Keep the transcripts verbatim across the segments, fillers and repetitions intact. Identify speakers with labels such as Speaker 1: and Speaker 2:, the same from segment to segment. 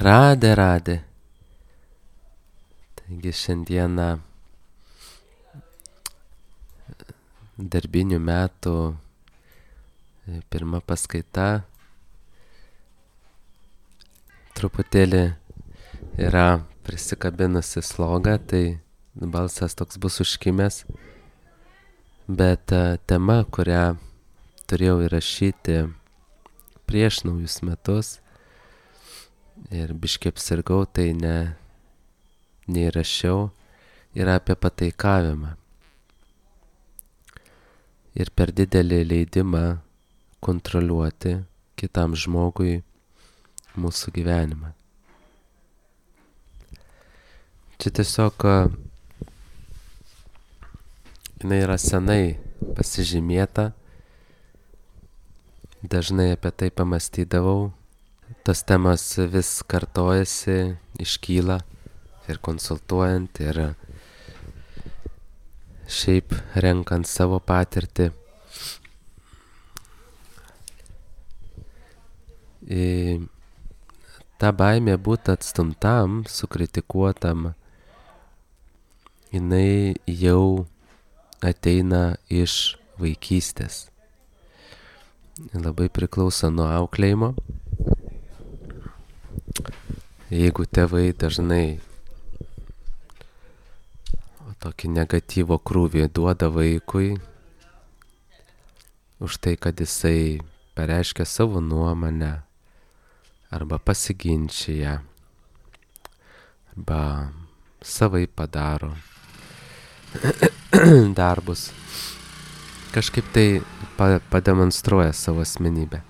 Speaker 1: Radė, radė. Taigi šiandieną darbinių metų pirma paskaita. Truputėlį yra prisikabinusi slogą, tai balsas toks bus užkimęs. Bet tema, kurią turėjau įrašyti prieš naujus metus ir biškį apsirgau, tai ne, neįrašiau, yra apie pataikavimą. Ir per didelį leidimą kontroliuoti kitam žmogui mūsų gyvenimą. Čia tiesiog jinai yra senai pasižymėta, dažnai apie tai pamastydavau, tos temas vis kartojasi, iškyla ir konsultuojant, ir šiaip renkant savo patirtį. Į tą baimę būti atstumtam, sukritikuotam, jinai jau ateina iš vaikystės. Labai priklauso nuo auklėjimo. Jeigu tėvai dažnai tokį negatyvo krūvį duoda vaikui už tai, kad jisai pareiškia savo nuomonę arba pasiginčia arba savai padaro darbus, kažkaip tai pademonstruoja savo asmenybę.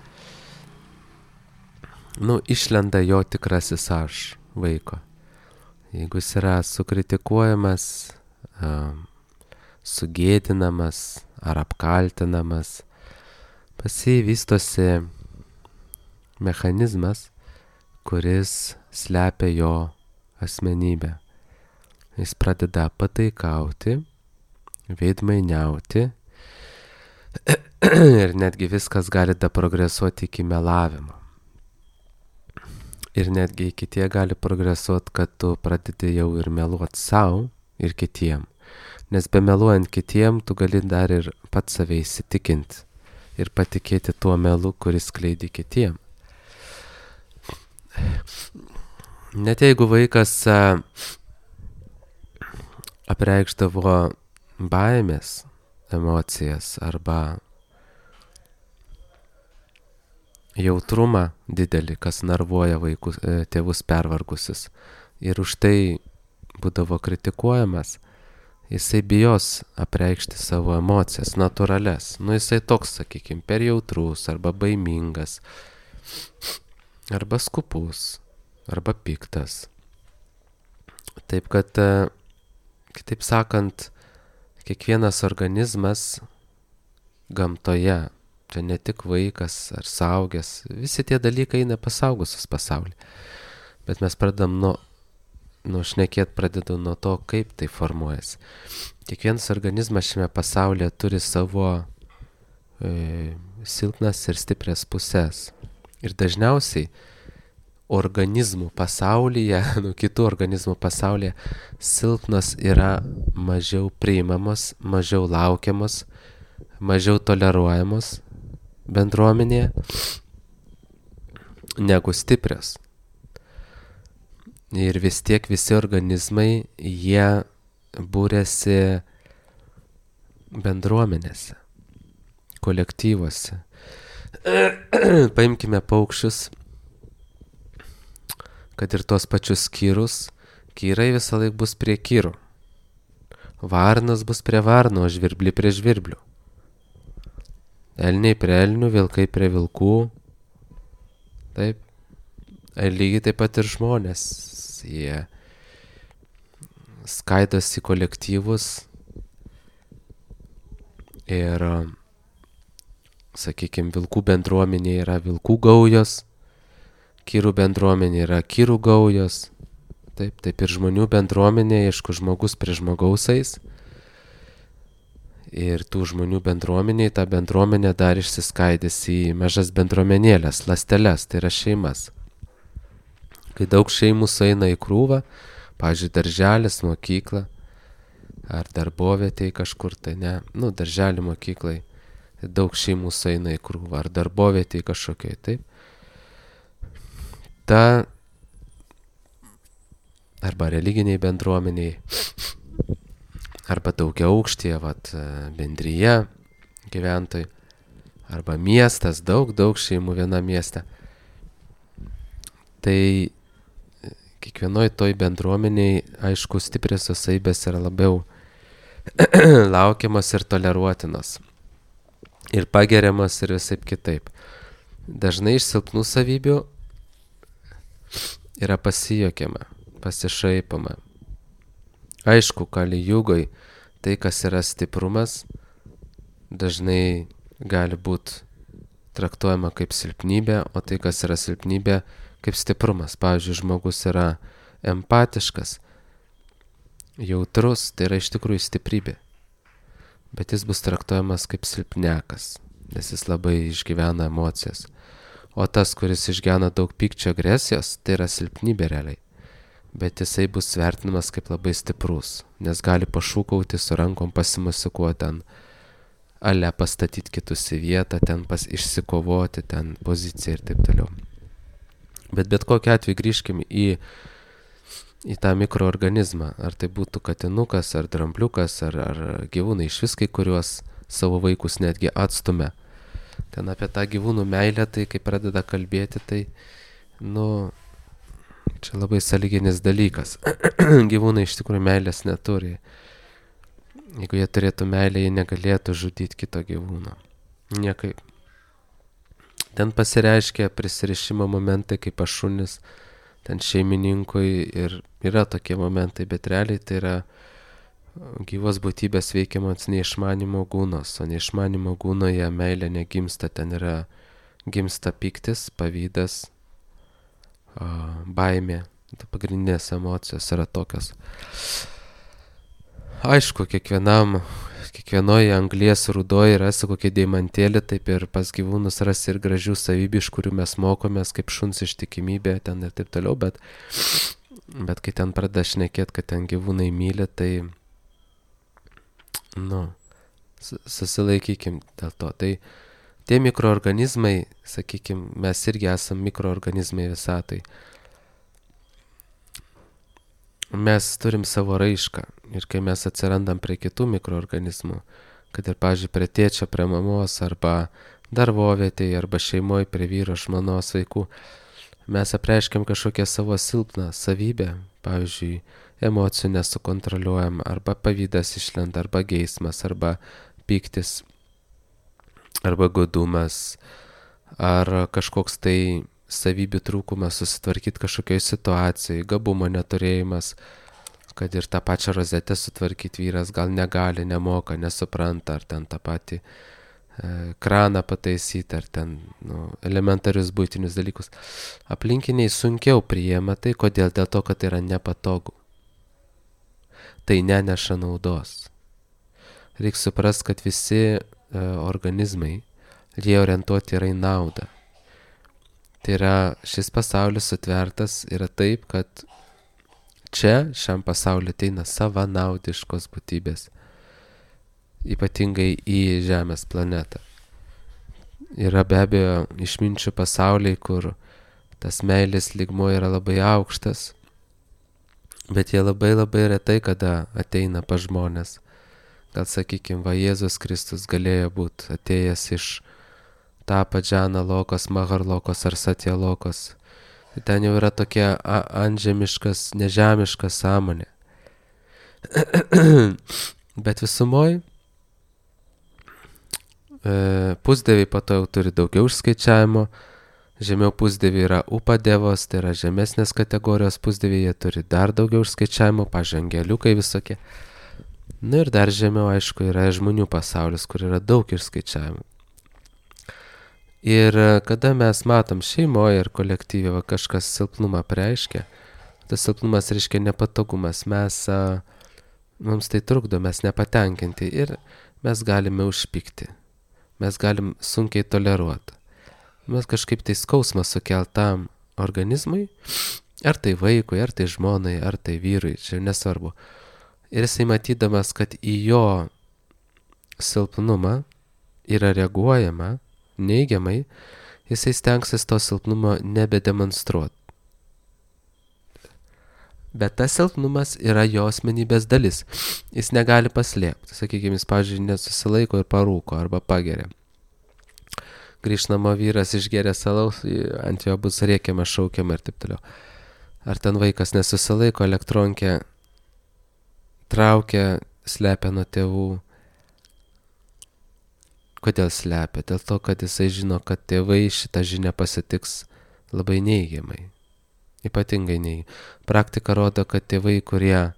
Speaker 1: Nu, išlenda jo tikrasis aš vaiko. Jeigu jis yra sukritikuojamas, sugėdinamas ar apkaltinamas, pas jį vystosi mechanizmas, kuris slepia jo asmenybę. Jis pradeda pataikauti, veidmainiauti ir netgi viskas gali progresuoti iki melavimo. Ir netgi iki tie gali progresuoti, kad tu pradedi jau ir meluoti savo ir kitiem. Nes be meluojant kitiem, tu gali dar ir pats save įsitikinti ir patikėti tuo melu, kuris skleidi kitiem. Net jeigu vaikas apreikšdavo baimės emocijas arba jautrumą didelį, kas nervuoja vaikus, tėvus pervargusius, ir už tai būdavo kritikuojamas, jisai bijos apreikšti savo emocijas, natūrales. Nu, jisai toks, sakykime, per jautrus, arba baimingas, arba skupus, arba piktas. Taip kad, kitaip sakant, kiekvienas organizmas gamtoje, čia ne tik vaikas ar suaugęs, visi tie dalykai eina pas suaugusius pasaulį. Bet mes pradedam nuo, nuo šnekėt pradedu nuo to, kaip tai formuojasi. Kiekvienas organizmas šiame pasaulyje turi savo e, silpnas ir stiprias pusės. Ir dažniausiai organizmų pasaulyje, nu kitų organizmų pasaulyje, silpnas yra mažiau priimamos, mažiau laukiamos, mažiau toleruojamos bendruomenėje negu stiprios. Ir vis tiek visi organizmai, jie būrėsi bendruomenėse, kolektyvuose. Paimkime paukščius, kad ir tos pačius kyrus, kyrai visą laik bus prie kyrų. Varnas bus prie varno, o žvirblį prie žvirblių. Elniai prie elnių, vilkai prie vilkų. Taip. Ir lygiai taip pat ir žmonės. Jie skaidosi kolektyvus ir, sakykime, vilkų bendruomenė yra vilkų gaujos, kyrų bendruomenė yra kyrų gaujos. Taip, taip ir žmonių bendruomenė, aišku, žmogus prie žmogaus eis. Ir tų žmonių bendruomeniai, ta bendruomenė dar išsiskaidys į mažas bendruomenėlės, ląsteles, tai yra šeimas. Kai daug šeimų sueina į krūvą, pavyzdžiui, darželis, mokykla, ar darbovietėj kažkur tai, ne, nu, darželį mokyklai, daug šeimų sueina į krūvą, ar darbovietėj kažkokiai, taip. Ta, arba religiniai bendruomeniai, arba daugia aukštyje, vat, bendryje gyventojai, arba miestas, daug, daug šeimų viena mieste. Tai kiekvienoj toj bendruomeniai, aišku, stipriosios savybės yra labiau laukiamas ir toleruotinas. Ir pageriamas ir visaip kitaip. Dažnai iš silpnų savybių yra pasijuokiama, pasišaipama. Aišku, Kali Jugoj tai, kas yra stiprumas, dažnai gali būti traktuojama kaip silpnybė, o tai, kas yra silpnybė, kaip stiprumas. Pavyzdžiui, žmogus yra empatiškas, jautrus, tai yra iš tikrųjų stiprybė. Bet jis bus traktuojamas kaip silpnekas, nes jis labai išgyvena emocijas. O tas, kuris išgyvena daug pykčio, agresijos, tai yra silpnybė realiai. Bet jisai bus vertinamas kaip labai stiprus, nes gali pašūkauti, su rankom pasimusikuoti ten, ale pastatyti kitus į vietą, ten pas, išsikovoti, ten poziciją ir taip toliau. Bet bet kokiu atveju grįžkim į, į tą mikroorganizmą, ar tai būtų katinukas, ar drambliukas, ar, ar gyvūnai, iš vis kai kuriuos savo vaikus netgi atstumia. Ten apie tą gyvūnų meilę, tai kai pradeda kalbėti, tai, nu, čia labai sąlyginis dalykas. Gyvūnai iš tikrųjų meilės neturi. Jeigu jie turėtų meilę, jie negalėtų žudyti kito gyvūno. Niekaip. Ten pasireiškia prisirišimo momentai kaip šunis, ten šeimininkui ir yra tokie momentai, bet realiai tai yra gyvos būtybės veikiamos neišmanimo gūnos, o neišmanimo gūnoje meilė negimsta, ten yra gimsta pyktis, pavydas, baimė, pagrindinės emocijos yra tokios. Aišku, kiekvienam Kiekvienoje anglies rūdoje rasi kokį deimantėlį, taip ir pas gyvūnus rasi ir gražių savybių, iš kurių mes mokomės, kaip šuns ištikimybė ten ir taip toliau, bet, bet kai ten pradeda šnekėti, kad ten gyvūnai myli, tai, nu, susilaikykim dėl to. Tai tie mikroorganizmai, sakykim, mes irgi esam mikroorganizmai visatai. Mes turim savo raišką ir kai mes atsirandam prie kitų mikroorganizmų, kad ir, pavyzdžiui, prie tėčio, prie mamos, arba darbovietėje, arba šeimoje, prie vyro, žmonos, vaikų, mes apreiškiam kažkokią savo silpną savybę, pavyzdžiui, emocijų nesukontroliuojam, arba pavydas išlenda, arba geismas, arba pyktis, arba godumas, ar kažkoks tai savybių trūkumas susitvarkyti kažkokioj situacijai, gabumo neturėjimas, kad ir tą pačią rozetę sutvarkyti vyras gal negali, nemoka, nesupranta, ar ten tą patį e, kraną pataisyti, ar ten nu, elementarius buitinius dalykus. Aplinkiniai sunkiau priima tai, kodėl? Dėl to, kad tai yra nepatogu. Tai neneša naudos. Reikia suprasti, kad visi e, organizmai, jie orientuoti yra į naudą. Tai yra, šis pasaulis sutvertas yra taip, kad čia šiam pasauliu ateina savanaudiškos būtybės, ypatingai į Žemės planetą. Yra be abejo išminčių pasauliai, kur tas meilės lygmuo yra labai aukštas, bet jie labai labai retai kada ateina pas žmonės. Gal sakykime, va Jėzus Kristus galėjo būti atėjęs iš Tapadžana lokos, Maharlokos ar Satjalokos. Ten jau yra tokia antžemiškas, nežemiškas sąmonė. Bet visumoj e, pusdieviai po to jau turi daugiau išskaičiavimo. Žemiau pusdieviai yra upadevos, tai yra žemesnės kategorijos pusdieviai, jie turi dar daugiau išskaičiavimo, pažangeliukai visokie. Na ir dar žemiau, aišku, yra žmonių pasaulis, kur yra daug išskaičiavimų. Ir kada mes matom šeimoje ir kolektyvė kažkas silpnumą pareiškia, tas silpnumas reiškia nepatogumas, mes, a, mums tai trukdo, mes nepatenkinti ir mes galime užpykti, mes galim sunkiai toleruoti. Mes kažkaip tai skausmą sukeltam organizmui Ar tai vaikui, ar tai žmonai, ar tai vyrui, čia nesvarbu. Ir jisai matydamas, kad į jo silpnumą yra reaguojama neigiamai, jisai stengsis to silpnumo nebedemonstruoti. Bet tas silpnumas yra jo asmenybės dalis. Jis negali paslėpti. Sakykime, jis, pavyzdžiui, nesusilaiko ir parūko arba pageria. Grįžnamo vyras išgeria salaus, ant jo bus rėkiama, šaukiama ir taip toliau. Ar ten vaikas nesusilaiko, elektronkę traukia, slepia nuo tėvų. Kodėl slepia? Dėl to, kad jisai žino, kad tėvai šitą žinią pasitiks labai neigiamai. Ypatingai neigiamai. Praktika rodo, kad tėvai, kurie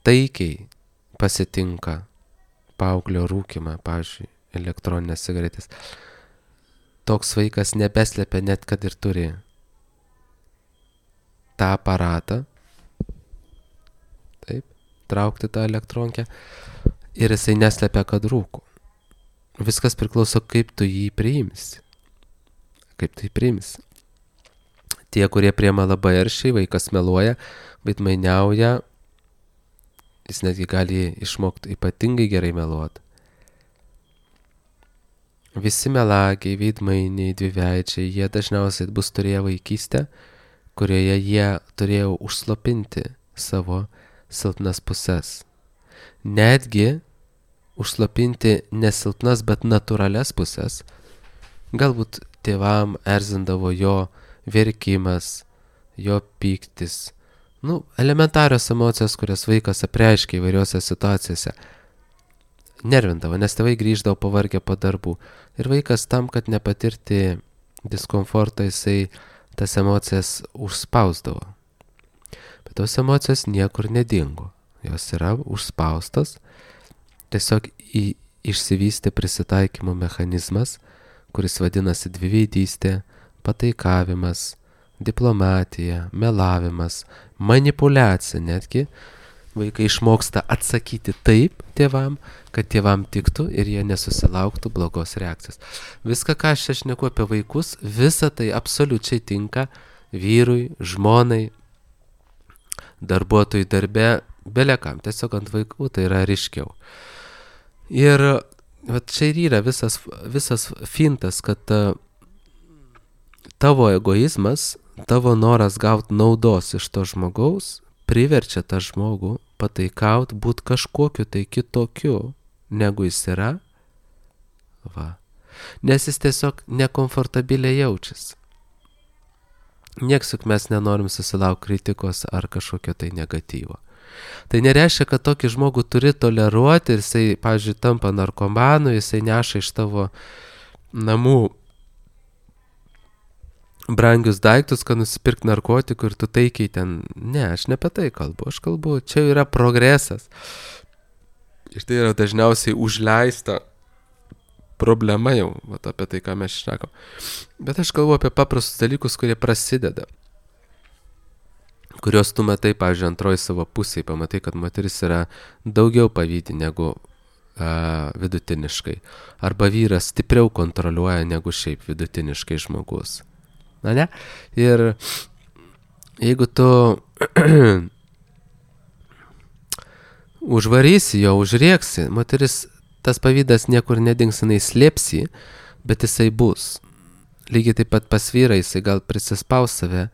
Speaker 1: taikiai pasitinka paauglio rūkimą, pavyzdžiui, elektroninės cigaretės, toks vaikas nebeslepia net, kad ir turi tą aparatą, taip, traukti tą elektronkę, ir jisai neslepia, kad rūko. Viskas priklauso, kaip tu jį priimsi. Kaip tu jį priimsi. Tie, kurie priima labai aršiai, vaikas meluoja, veidmainiauja, jis netgi gali išmokti ypatingai gerai meluoti. Visi melagiai, veidmainiai, dviveidžiai, jie dažniausiai bus turėję vaikystę, kurioje jie turėjo užslopinti savo silpnas puses. Netgi užslopinti nesilpnas, bet natūralias puses. Galbūt tėvam erzindavo jo verkimas, jo pyktis. Nu, elementarios emocijos, kurias vaikas apreiškia įvairiose situacijose. Nervindavo, nes tėvai grįždavo pavargę po darbų. Ir vaikas tam, kad nepatirti diskomfortą, jisai tas emocijas užspausdavo. Bet tos emocijos niekur nedingo. Jos yra užspaustos. Tiesiog į, išsivystė prisitaikymo mechanizmas, kuris vadinasi dviveidystė, pataikavimas, diplomatija, melavimas, manipuliacija netgi. Vaikai išmoksta atsakyti taip tėvam, kad tėvam tiktų ir jie nesusilauktų blogos reakcijos. Viską, ką aš čia šneku apie vaikus, visa tai absoliučiai tinka vyrui, žmonai, darbuotojui darbe, belekam. Tiesiog ant vaikų tai yra ryškiau. Ir vat čia ir yra visas, visas fintas, kad tavo egoizmas, tavo noras gauti naudos iš to žmogaus, priverčia tą žmogų pataikaut, būt kažkokiu tai kitokiu, negu jis yra. Va. Nes jis tiesiog nekomfortabiliai jaučiasi. Nieks juk mes nenorim susilaukti kritikos ar kažkokio tai negatyvo. Tai nereiškia, kad tokį žmogų turi toleruoti ir jisai, pavyzdžiui, tampa narkomanu, jisai neša iš tavo namų brangius daiktus, kad nusipirk narkotikų ir tu taikiai ten. Ne, aš ne apie tai kalbu, aš kalbu, čia yra progresas. Ir tai yra dažniausiai užleista problema jau, vat apie tai, ką mes šnekam. Bet aš kalbu apie paprastus dalykus, kurie prasideda. Kurios tu matai, pavyzdžiui, antroji savo pusėje, pamatai, kad moteris yra daugiau pavydi negu a, vidutiniškai. Arba vyras stipriau kontroliuoja negu šiaip vidutiniškai žmogus. Na ne? Ir jeigu tu užvarysi jo, užrėksi, moteris, tas pavydas niekur nedings, jinai slėpsi, bet jisai bus. Lygiai taip pat pas vyrą, jisai gal prisispaus save,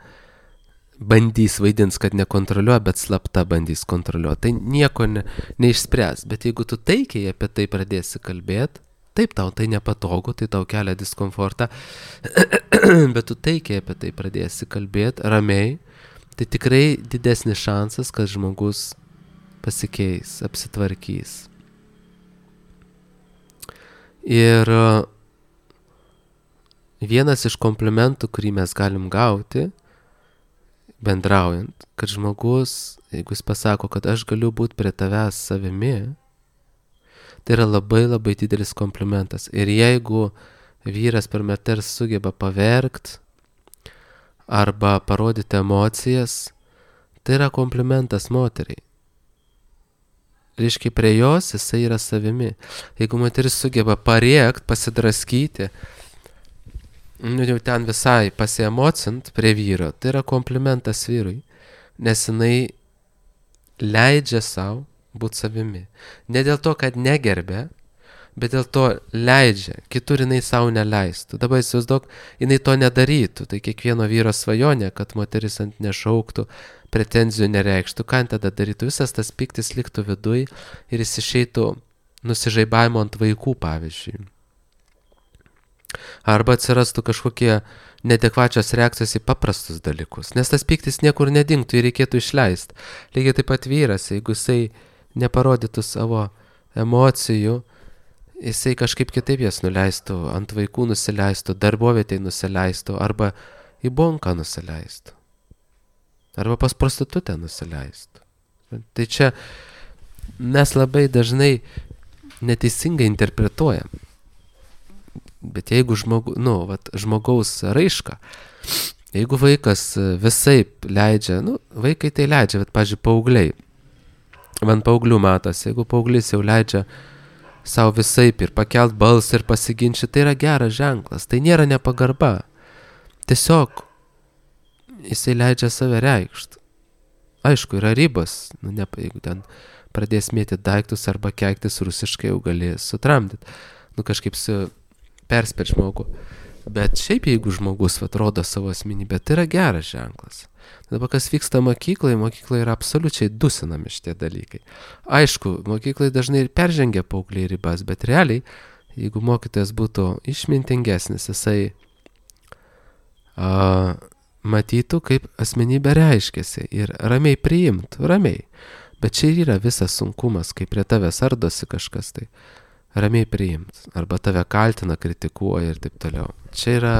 Speaker 1: bandys vaidins, kad nekontroliuoja, bet slapta bandys kontroliuoti. Tai nieko ne, neišspręs. Bet jeigu tu taikiai apie tai pradėsi kalbėti, taip tau tai nepatogu, tai tau kelia diskomfortą, bet tu taikiai apie tai pradėsi kalbėti ramiai, tai tikrai didesnis šansas, kad žmogus pasikeis, apsitvarkys. Ir vienas iš komplimentų, kurį mes galim gauti, bendraujant, kad žmogus, jeigu jis pasako, kad aš galiu būti prie tavęs savimi, tai yra labai labai didelis komplimentas. Ir jeigu vyras per moters sugeba paverkt arba parodyti emocijas, tai yra komplimentas moteriai. Reiškia, prie jos jisai yra savimi. Jeigu moteris sugeba parėkt, pasidraskyti nu, jau ten visai pasiemocint prie vyro, tai yra komplimentas vyrui, nes jinai leidžia savo būti savimi. Ne dėl to, kad negerbė, bet dėl to leidžia, kitur jinai savo neleistų. Dabar įsivaizduok, jinai to nedarytų, tai kiekvieno vyro svajonė, kad moteris ant nešauktų, pretenzijų nereikštų, ką tada darytų, visas tas piktis liktų viduj ir jis išeitų nusižaibavimo ant vaikų, pavyzdžiui. Arba atsirastų kažkokie neadekvačios reakcijos į paprastus dalykus, nes tas piktis niekur nedingtų ir reikėtų išleisti. Lygiai taip pat vyras, jeigu jisai neparodytų savo emocijų, jisai kažkaip kitaip jas nuleistų, ant vaikų nusileistų, darbovietėj nusileistų, arba į bonką nusileistų, arba pas prostitutę nusileistų. Tai čia mes labai dažnai neteisingai interpretuojam. Bet jeigu žmogu, nu, vat, žmogaus raiška, jeigu vaikas visaip leidžia, nu, vaikai tai leidžia, bet, pavyzdžiui, paaugliai, man paauglių matas, jeigu paauglys jau leidžia savo visaip ir pakelt balsą ir pasiginčyti, tai yra geras ženklas, tai nėra nepagarba. Tiesiog jisai leidžia save reikšti. Aišku, yra ribos, nu, ne, jeigu ten pradės mėtyti daiktus arba keiktis rusiškai, jau gali sutramdyti, nu, kažkaip su perspėt žmogų. Bet šiaip jeigu žmogus vat, rodo savo asmenybę, tai yra geras ženklas. Dabar kas vyksta mokykloje, mokykloje yra absoliučiai dusinami šitie dalykai. Aišku, mokykloje dažnai ir peržengia paaugliai ribas, bet realiai, jeigu mokytojas būtų išmintingesnis, jisai a, matytų, kaip asmenybė reiškiasi ir ramiai priimtų, ramiai. Bet čia yra visas sunkumas, kai prie tavęs ardosi kažkas, tai ramiai priimt, arba tave kaltina, kritikuoja ir taip toliau. Čia yra,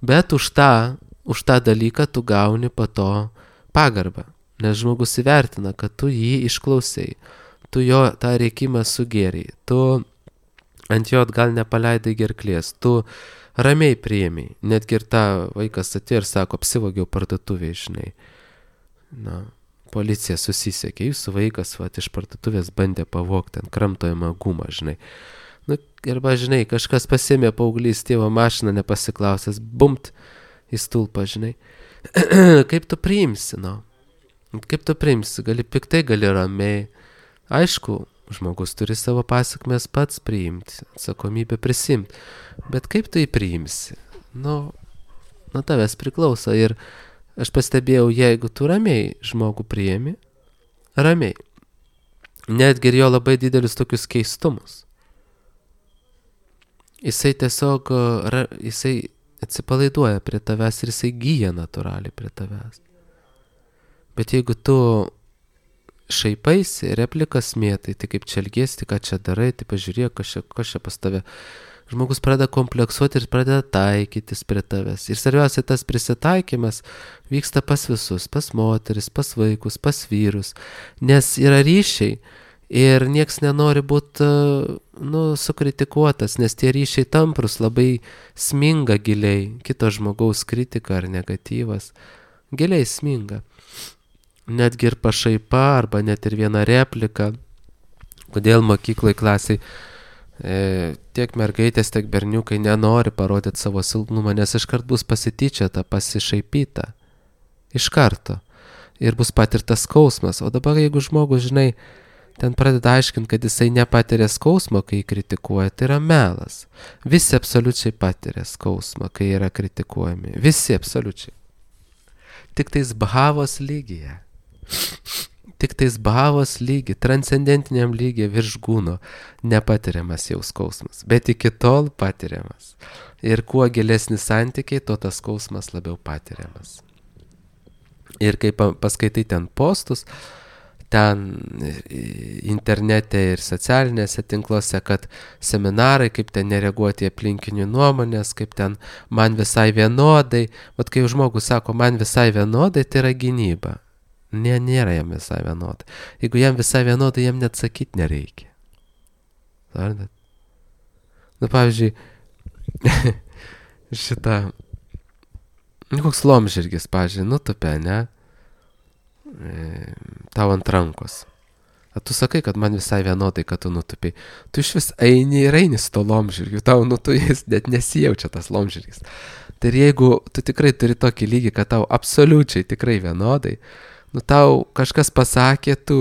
Speaker 1: bet už tą, už tą dalyką tu gauni po to pagarbą, nes žmogus įvertina, kad tu jį išklausai, tu jo tą reikimą sugėrei, tu ant jo gal nepaleidai gerklės, tu ramiai priėmei, netgi ir tą vaikas atėjo ir sako, apsivogiau parduotuvėje, žinai. Na, policija susisiekė, jūsų vaikas vat, iš parduotuvės bandė pavogti ant kramtojamą gumą, žinai. Nu, arba, žinai, kažkas pasėmė paauglys tėvo mašiną nepasiklausęs, bumt į stulpą, žinai. Kaip tu priimsi, no? Kaip tu priimsi? Gali piktai, gali ramiai. Aišku, žmogus turi savo pasakmes pats priimti, atsakomybę prisimti. Bet kaip tu jį priimsi? Nu, nuo tavęs priklauso ir aš pastebėjau, jeigu tu ramiai žmogų priimi, ramiai, netgi ir jo labai didelius tokius keistumus, jisai tiesiog, jisai atsipalaiduoja prie tavęs ir jisai gyja natūraliai prie tavęs. Bet jeigu tu šaipaisi, replikas mėtai, tai kaip čia elgiesi, ką čia darai, tai pažiūrėk, kas čia, kas čia pas tave. Žmogus pradeda kompleksuoti ir pradeda taikytis prie tavęs. Ir svarbiausia, tas prisitaikymas vyksta pas visus, pas moteris, pas vaikus, pas vyrus, nes yra ryšiai ir nieks nenori būti, nu, sukritikuotas, nes tie ryšiai tamprus labai sminga giliai, kito žmogaus kritika ar negatyvas, giliai sminga. Netgi ir pašaipa arba net ir viena replika, kodėl mokyklai klasiai E, tiek mergaitės, tiek berniukai nenori parodyti savo silpnumą, nes iškart bus pasityčiata, pasišaipyta. Iš karto. Ir bus patirtas skausmas. O dabar, jeigu žmogus, žinai, ten pradeda aiškinti, kad jisai nepatiria skausmo, kai jį kritikuoja, tai yra melas. Visi absoliučiai patiria skausmą, kai yra kritikuojami. Visi absoliučiai. Tik tais bhavos lygyje. Tik tais bhavos lygi, transcendentiniam lygiai virš gūno nepatiriamas jau skausmas, bet iki tol patiriamas. Ir kuo gilesnis santykiai, tuo tas skausmas labiau patiriamas. Ir kai paskaitai ten postus, ten internete ir socialinėse tinkluose, kad seminarai, kaip ten nereaguoti aplinkinių nuomonės, kaip ten man visai vienodai, vat kai žmogus sako man visai vienodai, tai yra gynyba. Ne, nėra jam visai vienodai. Jeigu jam visai vienodai, jam net sakyti nereikia. Suprantat? Nu, pavyzdžiui, šitą, nu, koks lomžirgis, pavyzdžiui, nutupė, ne? E, tau ant rankos. A tu sakai, kad man visai vienodai, kad tu nutupiai. Tu iš vis eini ir eini su to lomžirgiu, tau nu tu jis net nesijaučia tas lomžirgis. Tai ir jeigu tu tikrai turi tokį lygį, kad tau absoliučiai tikrai vienodai, nu tau kažkas pasakė, tu,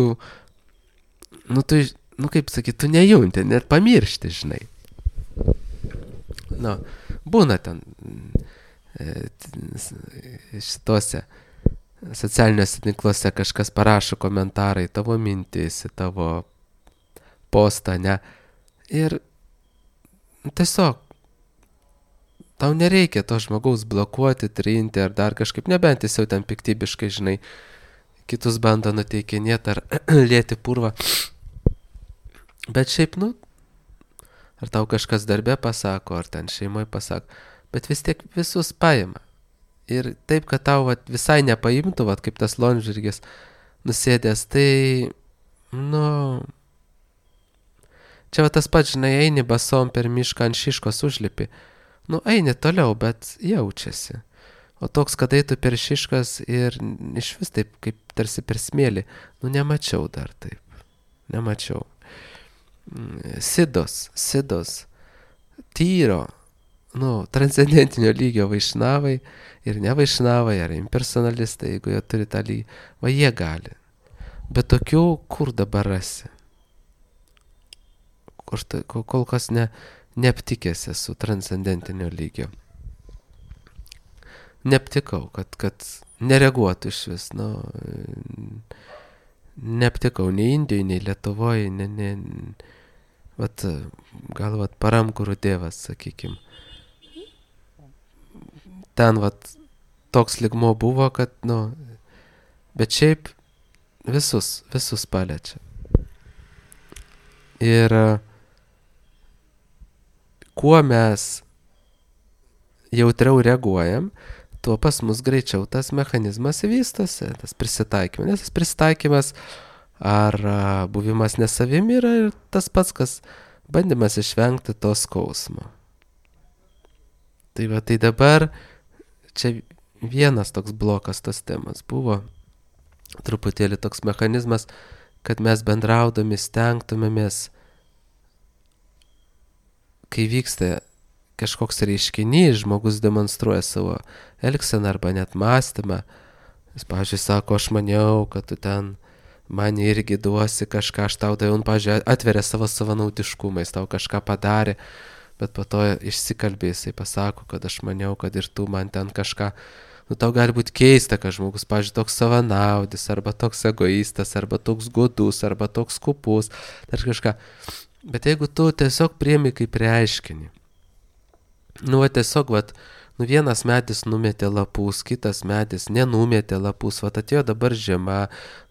Speaker 1: nu tu, nu kaip sakyti, tu nejunti, net pamiršti, žinai. Nu, būna ten šituose socialiniuose tinkluose kažkas parašo komentarai, tavo mintis, tavo postą, ne. Ir tiesiog tau nereikia to žmogaus blokuoti, trinti ar dar kažkaip, nebent jis jau ten piktybiškai, žinai, kitus bando nuteikinėti ar lieti purvą. Bet šiaip, nu, ar tau kažkas darbe pasako, ar ten šeimoje pasako, bet vis tiek visus paima. Ir taip, kad tau vat, visai nepaimtų, vat, kaip tas lomžirgis nusėdęs, tai, nu, čia va tas pats, žinai, eini basom per mišką ant šiškos užlipi. Nu, eini toliau, bet jaučiasi. O toks, kad eitų per šiškas ir iš vis taip, kaip tarsi per smėlį, nu, nemačiau dar taip. Nemačiau. Sidos, sidos, tyro, nu, transcendentinio lygio vaišnavai ir ne vaišnavai, ar impersonalistai, jeigu jie turi tą lygį, va jie gali. Bet tokių, kur dabar rasi? Kur ta, kol kas ne, neaptikęs esu transcendentinio lygio. Neaptikau, kad, kad nereaguotų iš vis, nu, neaptikau nei Indijoje, nei Lietuvoje, ne, ne, vat, gal vat Paramkurų dievas, sakykim. Ten vat toks lygmuo buvo, kad, nu, bet šiaip visus, visus paliečia. Ir kuo mes jautriau reaguojam, tuo pas mus greičiau tas mechanizmas vystosi, tas prisitaikymas. Nes tas prisitaikymas ar buvimas nesavim yra ir tas pats, kas bandymas išvengti to skausmo. Tai va, tai dabar čia vienas toks blokas tos temas buvo, truputėlį toks mechanizmas, kad mes bendraudami stengtumėmės, kai vyksta kažkoks reiškinys, žmogus demonstruoja savo elgseną arba net mąstymą. Jis, pavyzdžiui, sako, aš maniau, kad tu ten man irgi duosi kažką, aš tau daviau, pavyzdžiui, atveria savo savanaudiškumą, jis tau kažką padarė, bet po to išsikalbė, jisai pasako, kad aš maniau, kad ir tu man ten kažką, nu tau gali būti keista, kad žmogus, pavyzdžiui, toks savanaudis, arba toks egoistas, arba toks godus, arba toks kupus, dar kažką. Bet jeigu tu tiesiog priimi kaip reiškinį, nu, va, tiesiog, va, nu, vienas medis numetė lapus, kitas medis nenumetė lapus, va, atėjo dabar žiema,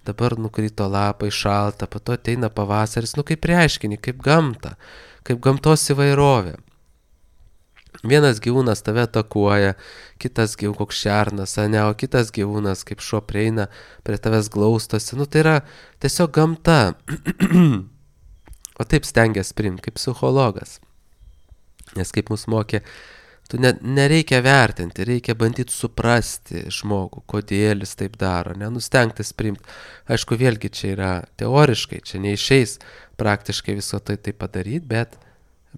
Speaker 1: dabar nukrito lapai, šalta, po to ateina pavasaris, nu, kaip reiškinį, kaip gamta, kaip gamtos įvairovė. Vienas gyvūnas tave atakuoja, kitas gyvūnas koks šernas, ne, o kitas gyvūnas kaip šuo prieina, prie tavęs glaustosi, nu, tai yra tiesiog gamta. O taip stengiasi priimti, kaip psichologas. Nes kaip mus mokė, tu ne, nereikia vertinti, reikia bandyti suprasti žmogų, kodėl jis taip daro, nenustengtis priimti. Aišku, vėlgi čia yra teoriškai, čia neišeis praktiškai viso tai tai padaryti, bet,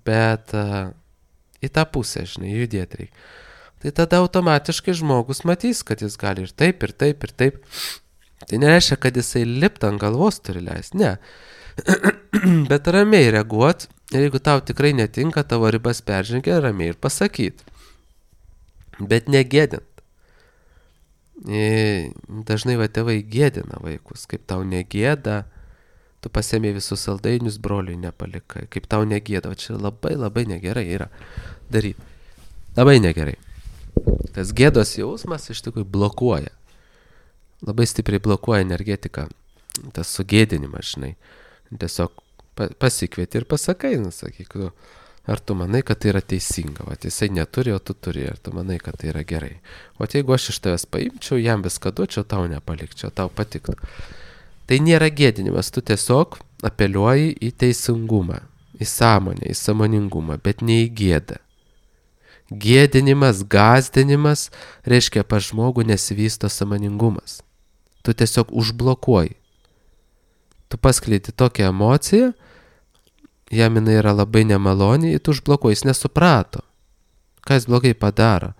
Speaker 1: bet uh, į tą pusę, žinai, judėti reikia. Tai tada automatiškai žmogus matys, kad jis gali ir taip, ir taip, ir taip. Tai nereiškia, kad jisai lipt ant galvos turi leisti, ne. Bet ramiai reaguot, ir jeigu tau tikrai netinka, tavo ribas peržengia, ramiai ir pasakyti. Bet negėdint. E, dažnai va tėvai gėdina vaikus, kaip tau negėda, tu pasiėmė visus saldainius, broliui nepalikai, kaip tau negėda, čia labai labai negerai yra daryti. Labai negerai. Tas gėdos jausmas iš tikrųjų blokuoja. Labai stipriai blokuoja energetiką, tas sugėdinimas, žinai. Tiesiog pasikvieti ir pasakai, nu, sakyk, ar tu manai, kad tai yra teisinga, o jisai neturi, o tu turi, ar tu manai, kad tai yra gerai. O jeigu aš iš tavęs paimčiau, jam viską duočiau, tau nepalikčiau, tau patiktų. Tai nėra gėdinimas, tu tiesiog apeliuoji į teisingumą, į sąmonę, į sąmoningumą, bet ne į gėdą. Gėdinimas, gąsdinimas reiškia, pas žmogų nesivysto sąmoningumas. Tu tiesiog užblokuoji. tu paskleidi tokią emociją, jam jinai yra labai nemaloni, tu užblokuoji, jis nesuprato, ką jis blogai padaro.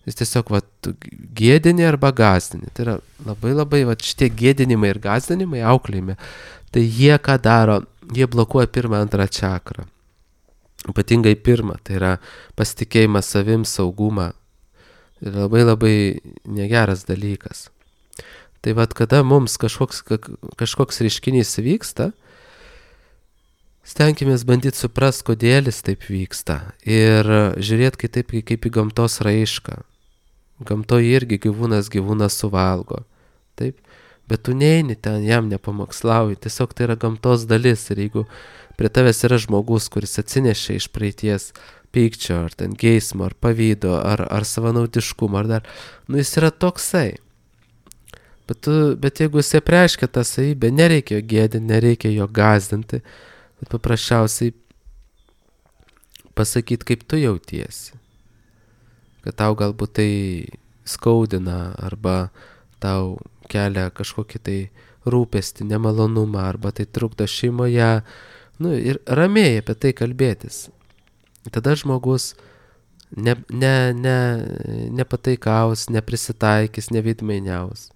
Speaker 1: Jis tiesiog va, gėdini arba gazdini. Tai yra labai labai va, šitie gėdinimai ir gazdinimai auklėjime. Tai jie ką daro, jie blokuoja pirmą, antrą čakrą. Ypatingai pirmą, tai yra pasitikėjimas savim, saugumą. Ir labai labai negeras dalykas. Tai vad, kada mums kažkoks, kažkoks reiškinys vyksta, stenkimės bandyti suprast, kodėl jis taip vyksta. Ir žiūrėti kitaip kaip į gamtos raišką. Gamtoje irgi gyvūnas gyvūnas suvalgo. Taip? Bet tu neini ten, jam nepamokslauji. Tiesiog tai yra gamtos dalis. Ir jeigu prie tavęs yra žmogus, kuris atsinešė iš praeities pykčio, ar ten geismo, ar pavydo, ar, ar savanaudiškumo, ar dar, nu jis yra toksai. Bet, tu, bet jeigu jis apreiškia tą savybę, nereikia jo gėdinti, nereikia jo gazdinti, bet paprasčiausiai pasakyti, kaip tu jautiesi. Kad tau galbūt tai skaudina, arba tau kelia kažkokį tai rūpestį, nemalonumą, arba tai trukdo šeimoje. Nu, ir ramiai apie tai kalbėtis. Tada žmogus ne, ne, ne, nepataikaus, neprisitaikys, nevidmainiaus.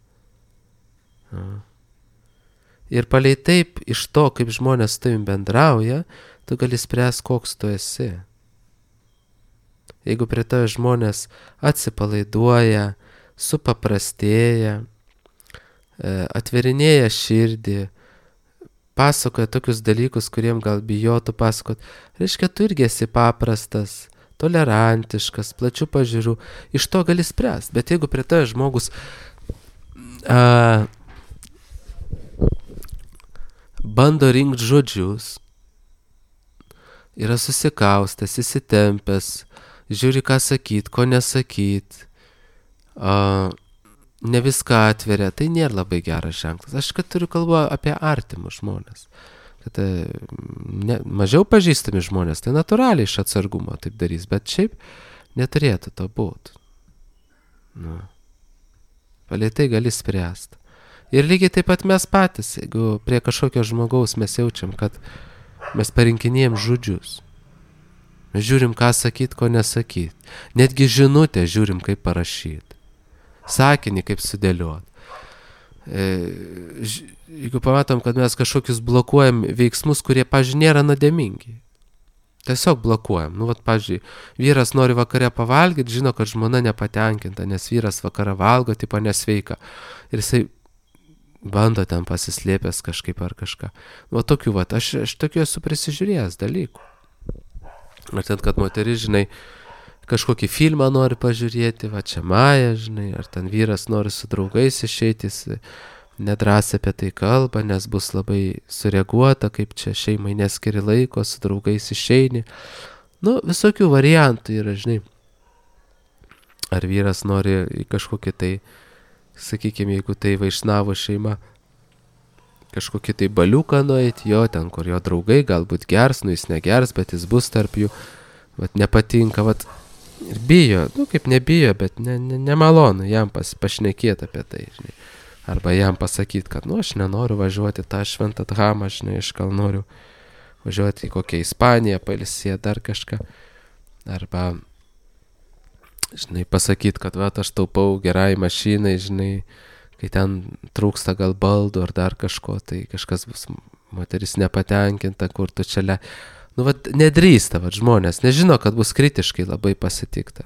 Speaker 1: Ir palei taip, iš to, kaip žmonės su tavim bendrauja, tu gali spręs, koks tu esi. Jeigu prie tave žmonės atsipalaiduoja, supaprastėja, atverinėja širdį, pasakoja tokius dalykus, kuriem gal bijotų pasakot, reiškia, tu irgi esi paprastas, tolerantiškas, plačių pažiūrų, iš to gali spręsti. Bet jeigu prie tave žmogus a, bando rinkti žodžius, yra susikaustęs, įsitempęs, žiūri, ką sakyt, ko nesakyt, a, ne viską atveria, tai nėra labai geras ženklas. Aš kad turiu kalbą apie artimus žmonės. Kad ne, mažiau pažįstami žmonės, tai natūraliai iš atsargumo taip darys, bet šiaip neturėtų to būti. Nu. Palei tai gali spręsti. Ir lygiai taip pat mes patys, jeigu prie kažkokio žmogaus mes jaučiam, kad mes parinkinėjom žodžius. Mes žiūrim, ką sakyt, ko nesakyt. Netgi žinutę žiūrim, kaip parašyti. Sakinį, kaip sudėliot. E, ž, jeigu pamatom, kad mes kažkokius blokuojam veiksmus, kurie, pavyzdžiui, nėra nuodėmingi. Tiesiog blokuojam. Nu, vat, pavyzdžiui, vyras nori vakare pavalgyti, žino, kad žmona nepatenkinta, nes vyras vakarą valgo, tipo nesveika. Ir jisai bando ten pasislėpęs kažkaip ar kažką. Nu, tokių, vat, aš, aš tokių esu prisižiūrėjęs dalykų. Ar ten, kad moteris, žinai, kažkokį filmą nori pažiūrėti, va čia Maja, žinai, ar ten vyras nori su draugais išeiti, nedrąsiai apie tai kalba, nes bus labai sureaguota, kaip čia šeimai neskiri laiko, su draugais išeini. Nu, visokių variantų yra, žinai. Ar vyras nori į kažkokį tai, sakykime, jeigu tai vaišnavo šeima, kažkokį tai baliuką nueiti, jo, ten, kur jo draugai galbūt gers, nu jis negers, bet jis bus tarp jų, vat nepatinka, vat ir bijo, nu kaip nebijo, bet ne, ne, nemalonu jam pas, pašnekėti apie tai, žinai. Arba jam pasakyti, kad, nu, aš nenoriu važiuoti tą šventą dramą, žinai, aš gal noriu važiuoti į kokią Ispaniją, pailsėti dar kažką. Arba, žinai, pasakyti, kad, va, aš taupau gerai mašinai, žinai, kai ten trūksta gal baldų ar dar kažko, tai kažkas bus, moteris nepatenkinta, kur tu čia le... Nu, va, nedrįsta, va, žmonės, nežino, kad bus kritiškai labai pasitikta.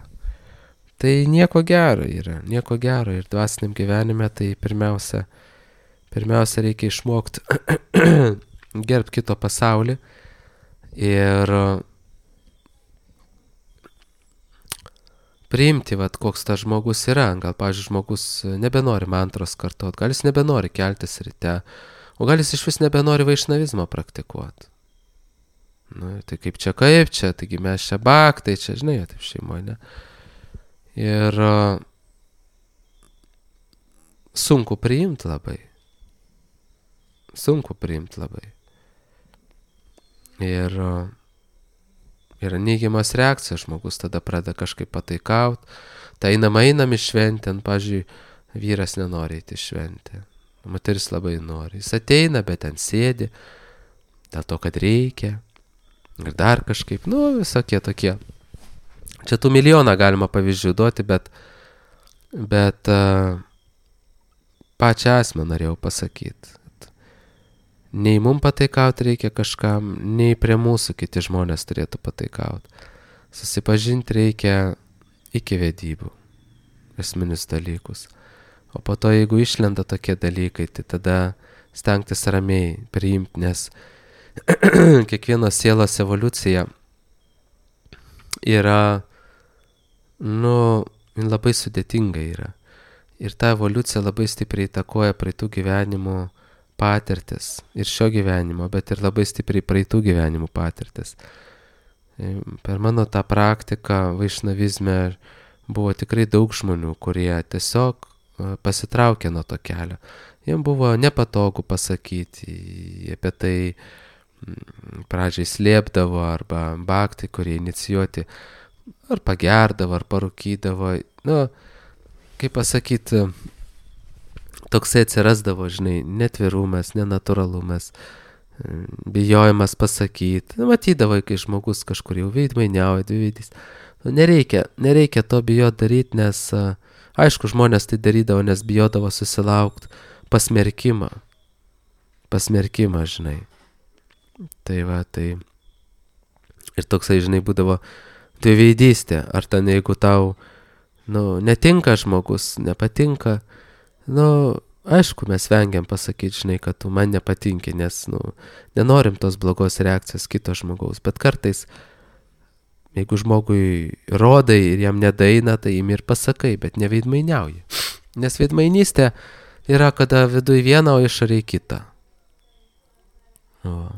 Speaker 1: Tai nieko gero yra, nieko gero ir dvasiniam gyvenime tai pirmiausia, pirmiausia reikia išmokti gerbti kito pasaulį ir priimti, vat, koks tas žmogus yra. Gal, pavyzdžiui, žmogus nebenori mantros kartot, gal jis nebenori keltis ryte, o gal jis iš vis nebenori vaišnavizmą praktikuoti. Nu, tai kaip čia, kaip čia, taigi mes čia baktai, čia, žinai, taip šeimoje, ne? Ir uh, sunku priimti labai. Sunku priimti labai. Ir uh, yra neigiamas reakcija, žmogus tada pradeda kažkaip pataikaut. Tai einam, einam į šventę, pavyzdžiui, vyras nenori eiti į šventę. Moteris labai nori. Jis ateina, bet ten sėdi, dėl to, kad reikia. Ir dar kažkaip, nu, visokie tokie. Čia tų milijoną galima pavyzdžių duoti, bet, bet uh, pačią asmę norėjau pasakyti. Nei mum pataikauti reikia kažkam, nei prie mūsų kiti žmonės turėtų pataikauti. Susipažinti reikia iki vedybų, esminius dalykus. O po to, jeigu išlenda tokie dalykai, tai tada stengtis ramiai priimti, nes kiekvienos sielos evoliucija yra, nu, labai sudėtinga yra. Ir ta evoliucija labai stipriai įtakoja praeitų gyvenimų patirtis. Ir šio gyvenimo, bet ir labai stipriai praeitų gyvenimų patirtis. Per mano tą praktiką vaišnavizme buvo tikrai daug žmonių, kurie tiesiog pasitraukė nuo to kelio. Jiems buvo nepatogu pasakyti apie tai, pradžiai slėpdavo, arba baktai, kurie inicijuoti, ar pagerdavo, ar parūkydavo. Nu, kaip pasakyti, toksai atsirasdavo, žinai, netvirumas, nenatūralumas, bijojimas pasakyti. Nu, matydavai, kai žmogus kažkur jau veidmainiauja, dviveidys. Nu, nereikia, nereikia to bijot daryti, nes aišku, žmonės tai darydavo, nes bijodavo susilaukti pasmerkimą. Pasmerkimą, žinai. Tai va, tai. Ir toksai, žinai, būdavo dviveidystė. Ar ten, jeigu tau, nu, netinka žmogus, nepatinka, nu, aišku, mes vengiam pasakyti, žinai, kad tu man nepatinki, nes, nu, nenorim tos blogos reakcijos kito žmogaus. Bet kartais, jeigu žmogui rodai ir jam nedaina, tai jim ir pasakai, bet neveidmainiauji. Nes veidmainystė yra, kada viduj viena, o išoriai kita. O.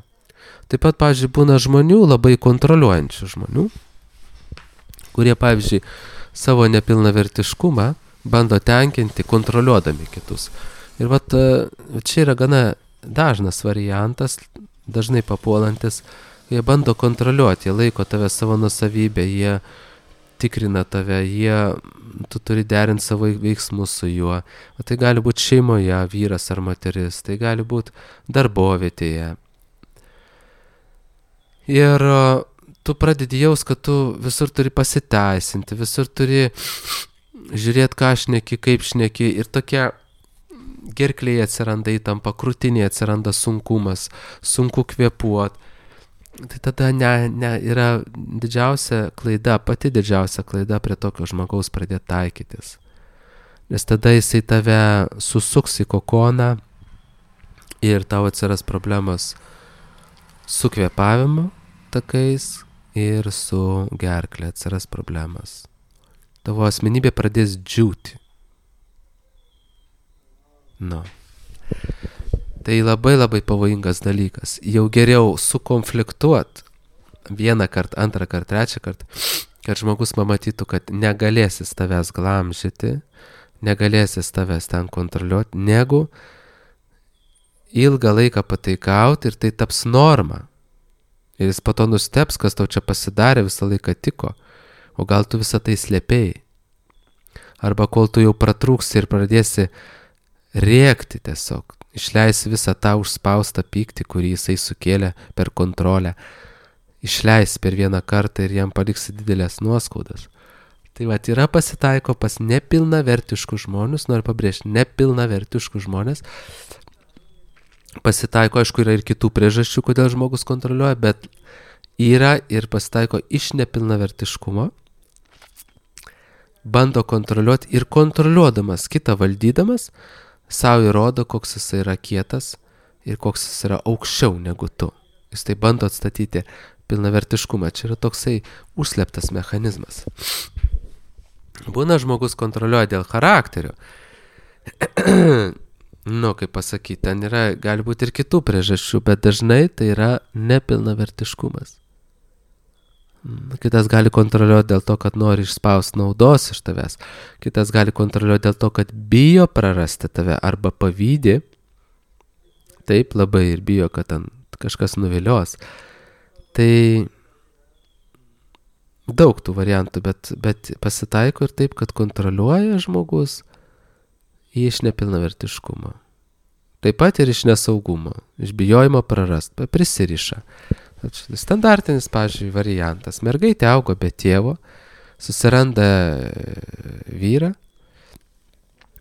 Speaker 1: Taip pat, pavyzdžiui, būna žmonių, labai kontroliuojančių žmonių, kurie, pavyzdžiui, savo nepilnavertiškumą bando tenkinti, kontroliuodami kitus. Ir vat, čia yra gana dažnas variantas, dažnai papuolantis. Jie bando kontroliuoti, jie laiko tave savo nusavybę, jie tikrina tave, jie, tu turi derinti savo veiksmus su juo. O tai gali būti šeimoje, vyras ar moteris, tai gali būti darbovietėje. Ir tu pradedi jaus, kad tu visur turi pasiteisinti, visur turi žiūrėti, ką šneki, kaip šneki. Ir tokia gerklėje atsiranda įtampa, krūtinėje atsiranda sunkumas, sunku kvėpuoti. Tai tada ne, ne, yra didžiausia klaida, pati didžiausia klaida prie tokio žmogaus pradėti taikytis. Nes tada jisai tave susuks į kokoną ir tau atsiras problemos su kvėpavimu takais ir su gerklė atsiras problemas. Tavo asmenybė pradės džiūti. Nu. Tai labai labai pavojingas dalykas. Jau geriau sukonfliktuot vieną kartą, antrą kartą, trečią kartą, kad žmogus pamatytų, kad negalėsis tavęs glamžyti, negalėsis tavęs ten kontroliuoti, negu ilgą laiką pataikauti ir tai taps norma. Ir jis po to nusteps, kas tau čia pasidarė, visą laiką tiko. O gal tu visą tai slėpėjai. Arba kol tu jau pratrūksi ir pradėsi rėkti tiesiog. Išleisi visą tą užspaustą pyktį, kurį jisai sukėlė per kontrolę. Išleisi per vieną kartą ir jam paliksi didelės nuoskaudas. Tai va, yra pasitaiko pas nepilnavertiškus žmonės, noriu pabrėžti, nepilnavertiškus žmonės. Pasitaiko, aišku, yra ir kitų priežasčių, kodėl žmogus kontroliuoja, bet yra ir pasitaiko iš nepilnavertiškumo. Bando kontroliuoti ir kontroliuodamas, kitą valdydamas, savo įrodo, koks jis yra kietas ir koks jis yra aukščiau negu tu. Jis tai bando atstatyti pilnavertiškumą. Čia yra toksai užslėptas mechanizmas. Būna žmogus kontroliuoja dėl charakterio. Nu, kaip pasakyti, ten yra, gali būti ir kitų priežasčių, bet dažnai tai yra nepilnavertiškumas. Kitas gali kontroliuoti dėl to, kad nori išspausti naudos iš tavęs. Kitas gali kontroliuoti dėl to, kad bijo prarasti tave arba pavydi. Taip, labai ir bijo, kad ten kažkas nuvilios. Tai daug tų variantų, bet, bet pasitaiko ir taip, kad kontroliuoja žmogus iš nepilnavertiškumo. Taip pat ir iš nesaugumo, iš bijojimo prarast, prisiriša. Standartinis, pavyzdžiui, variantas. Mergaitė augo be tėvo, susiranda vyrą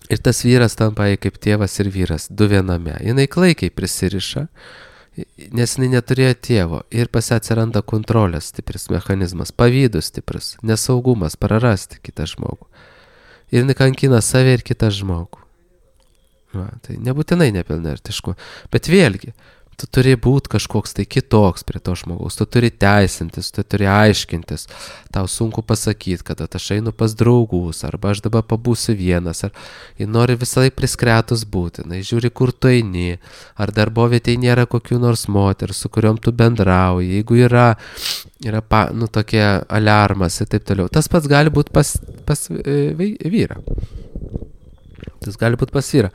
Speaker 1: ir tas vyras tampa kaip tėvas ir vyras, du viename. Jinai klaikiai prisiriša, nes jinai neturėjo tėvo ir pas ją atsiranda kontrolės stipris mechanizmas, pavydus stipris, nesaugumas, prarasti kitą žmogų. Ir jinai kankina save ir kitą žmogų. Va, tai nebūtinai nepilnavertišku, bet vėlgi, tu turi būti kažkoks tai kitoks prie to žmogaus, tu turi teisintis, tu turi aiškintis, tau sunku pasakyti, kad aš einu pas draugus, arba aš dabar pabūsiu vienas, ar jie nori visą laiką priskretus būti, na, žiūri, kur tu eini, ar darbovietėje nėra kokių nors moterų, su kuriuom tu bendrauji, jeigu yra, yra pa, nu, tokie aliarmas ir taip toliau. Tas pats gali būti pas, pas e, vyrą. Tas gali būti pas vyrą.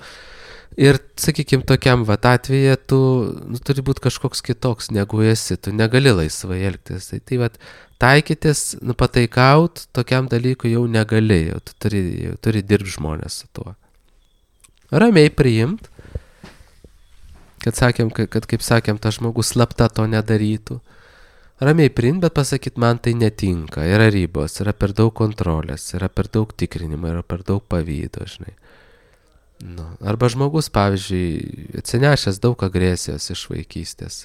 Speaker 1: Ir, sakykime, tokiam vat atveju tu nu, turi būti kažkoks kitoks, negu esi, tu negali laisvai elgtis. Tai, tai vat, taikytis, nu, pataikaut, tokiam dalykui jau negali, jau tu turi, jau turi dirbti žmonės su tuo. Ramiai priimt, kad, sakėm, kad, kad kaip sakėm, tas žmogus slapta to nedarytų. Ramiai priimt, bet pasakyti, man tai netinka, yra ribos, yra per daug kontrolės, yra per daug tikrinimo, yra per daug pavydo, žinai. Nu, arba žmogus, pavyzdžiui, atsinešęs daug agresijos iš vaikystės,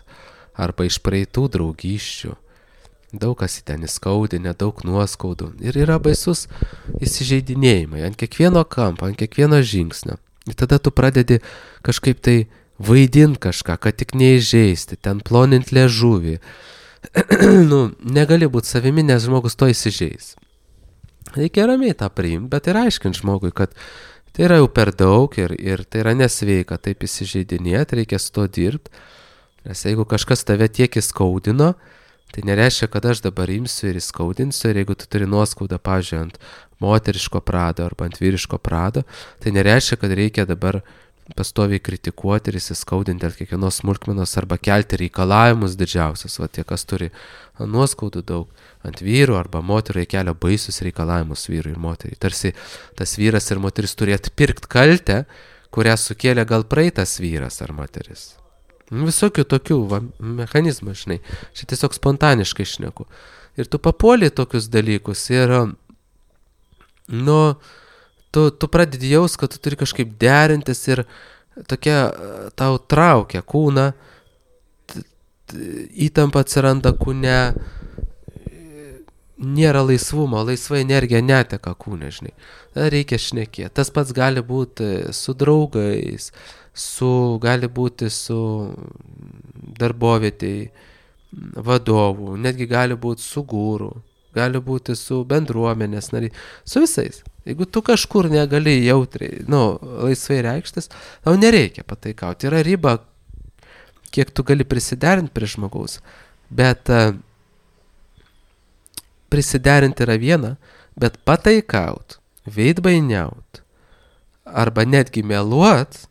Speaker 1: arba iš praeitų draugysčių, daug kas į ten įskaudinę, daug nuoskaudų. Ir yra baisus įsižeidinėjimai ant kiekvieno kampo, ant kiekvieno žingsnio. Ir tada tu pradedi kažkaip tai vaidinti kažką, kad tik neįžeisti, ten plonint liežuvį. Nu, negali būti savimi, nes žmogus to įsižeis. Reikia ramiai tą priimti, bet ir aiškinti žmogui, kad tai yra jau per daug ir, ir tai yra nesveika taip įsižeidinėti, reikia su to dirbti. Nes jeigu kažkas tave tiek įskaudino, tai nereiškia, kad aš dabar imsiu ir įskaudinsiu. Ir jeigu tu turi nuoskaudą, pavyzdžiui, ant moteriško prado arba ant vyriško prado, tai nereiškia, kad reikia dabar pastoviai kritikuoti ir įsiskaudinti ant kiekvienos smulkmenos arba kelti reikalavimus didžiausius. Va tie, kas turi nuoskaudų daug ant vyrų arba moterų, jie kelia baisius reikalavimus vyrui ir moteriai. Tarsi tas vyras ir moteris turi atpirkti kaltę, kurią sukėlė gal praeitas vyras ar moteris. Visokių tokių va, mechanizmų, žinai. Čia tiesiog spontaniškai šneku. Ir tu papuoli tokius dalykus ir, nu, tu, tu pradedi jaus, kad tu turi kažkaip derintis ir tokia tau traukia kūną, įtampa atsiranda kūne, nėra laisvumo, laisva energija neteka kūne, žinai. Reikia šnekėti. Tas pats gali būti su draugais, su, gali būti su darbovietėj vadovų, netgi gali būti su guru, gali būti su bendruomenės nariai, su visais. Jeigu tu kažkur negali jautriai, nu, laisvai reikštis, tau nereikia pataikauti. Yra riba, kiek tu gali prisiderinti prie žmogaus, bet uh, prisiderinti yra viena, bet pataikaut, veidbainiaut, arba netgi meluot,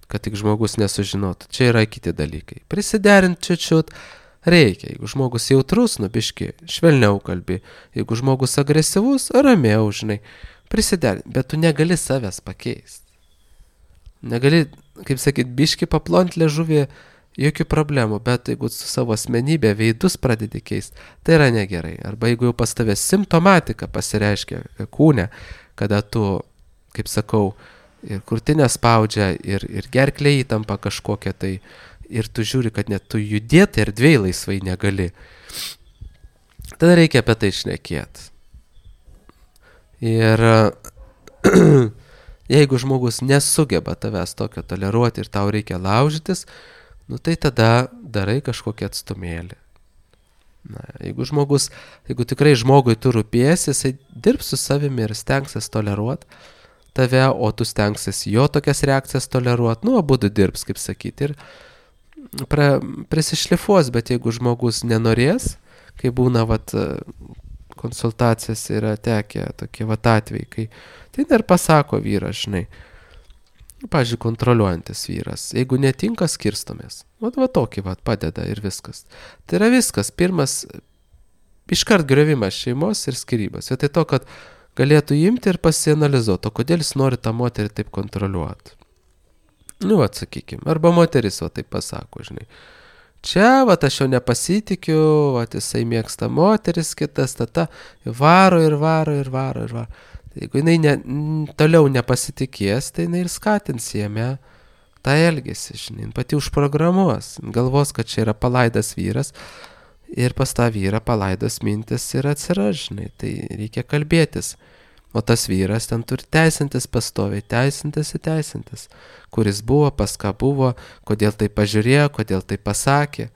Speaker 1: kad tik žmogus nesužinotų, čia yra kiti dalykai. Prisiderinti čiut-čiut reikia. Jeigu žmogus jautrus, nu biški, švelniau kalbi. Jeigu žmogus agresyvus, ramiau, žinai, prisiderinti. Bet tu negali savęs pakeisti. Negali, kaip sakyt, biški paplonti liežuvį, jokių problemų, bet jeigu su savo asmenybė veidus pradedi keisti, tai yra negerai. Arba jeigu jau pas tavęs simptomatika pasireiškia kūne, kada tu, kaip sakau, ir krūtinę spaudžia, ir, ir gerklė įtampa kažkokia tai, ir tu žiūri, kad net tu judėti erdvėj laisvai negali. Tada reikia apie tai šnekėti. Ir jeigu žmogus nesugeba tavęs tokio toleruoti ir tau reikia laužytis, nu tai tada darai kažkokį atstumėlį. Na, jeigu žmogus, jeigu tikrai žmogui tu rūpėsi, jisai dirbs su savimi ir stengsis toleruoti tave, o tu stengsis jo tokias reakcijas toleruoti, nu, abudu dirbs, kaip sakyti, ir pra, prisišlifuos, bet jeigu žmogus nenorės, kai būna, vat, konsultacijas yra tekę tokie, vat, atvejai, kai tai dar pasako vyras, žinai, pavyzdžiui, kontroliuojantis vyras, jeigu netinka, skirstomės, vat, vat, tokį, vat, padeda ir viskas. Tai yra viskas, pirmas, iškart griovimas šeimos ir skyrybos, vietoj to, kad galėtų imti ir pasianalizuoti, o kodėl jis nori tą moterį taip kontroliuoti. Nu, atsakykim. Arba moteris, va, taip pasako, žinai. Čia, va, aš jau nepasitikiu, va, jisai mėgsta moteris, kitas, tata, varo ir varo ir varo ir varo. Tai jeigu jinai ne, toliau nepasitikės, tai jinai ir skatins jame tą elgesį, žinai, pati užprogramuos, galvos, kad čia yra palaidas vyras ir pas tą vyrą palaidos mintis ir atsiras, žinai, tai reikia kalbėtis. O tas vyras ten turi teisintis pastoviai, teisintis ir teisintis, kuris buvo, pas ką buvo, kodėl tai pažiūrėjo, kodėl tai pasakė.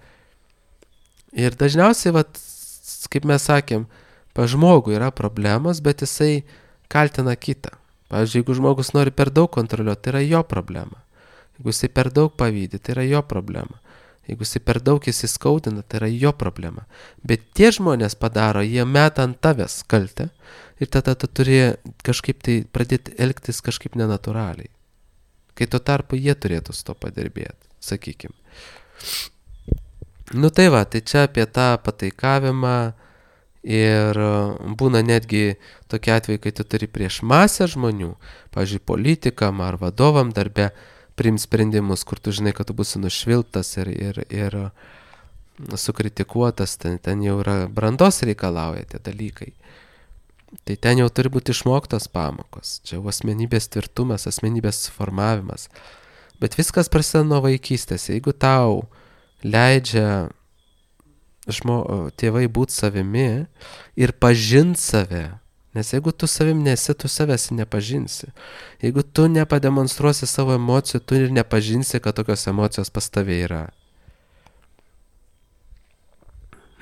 Speaker 1: Ir dažniausiai, vat, kaip mes sakėm, pa žmogų yra problemos, bet jisai kaltina kitą. Pavyzdžiui, jeigu žmogus nori per daug kontroliuoti, tai yra jo problema. Jeigu jisai per daug pavydi, tai yra jo problema. Jeigu jisai per daug įsiskaudina, tai yra jo problema. Bet tie žmonės padaro, jie meta ant tavęs kaltę ir tada tu turi kažkaip tai pradėti elgtis kažkaip nenatūraliai. Kai tuo tarpu jie turėtų su to padirbėti, sakykim. Nu tai va, tai čia apie tą pataikavimą ir būna netgi tokie atvejai, kai tu turi prieš masę žmonių, pavyzdžiui, politikam ar vadovam darbe, priimt sprendimus, kur tu žinai, kad tu būsi nušvilptas ir, ir, ir sukritikuotas, ten, ten jau yra brandos reikalauja tie dalykai. Tai ten jau turi būti išmoktos pamokos, čia jau asmenybės tvirtumas, asmenybės formavimas. Bet viskas prasideda nuo vaikystės. Jeigu tau leidžia žmo, tėvai būti savimi ir pažint save, nes jeigu tu savim nesi, tu savęs nepažinsi. Jeigu tu nepademonstruosi savo emocijų, tu ir nepažinsi, kad tokios emocijos pas tave yra.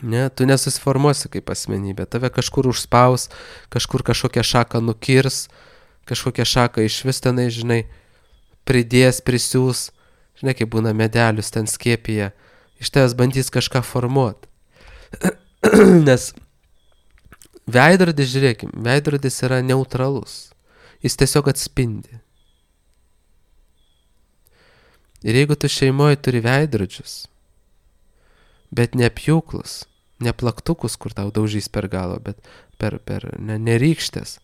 Speaker 1: Ne, tu nesusiformuosi kaip asmenybė. Tave kažkur užspaus, kažkur kažkokią šaką nukirs, kažkokią šaką iš vis tenai, žinai, pridės, prisiūs. Žinai, kaip būna medelius ten skiepyje. Iš tavęs bandys kažką formuoti. Nes veidrodis, žiūrėkim, veidrodis yra neutralus. Jis tiesiog atspindi. Ir jeigu tu šeimoje turi veidrodžius, bet neapjūklus, neplaktukus, kur tau daužys per galą, bet per, per ne, nerykštės,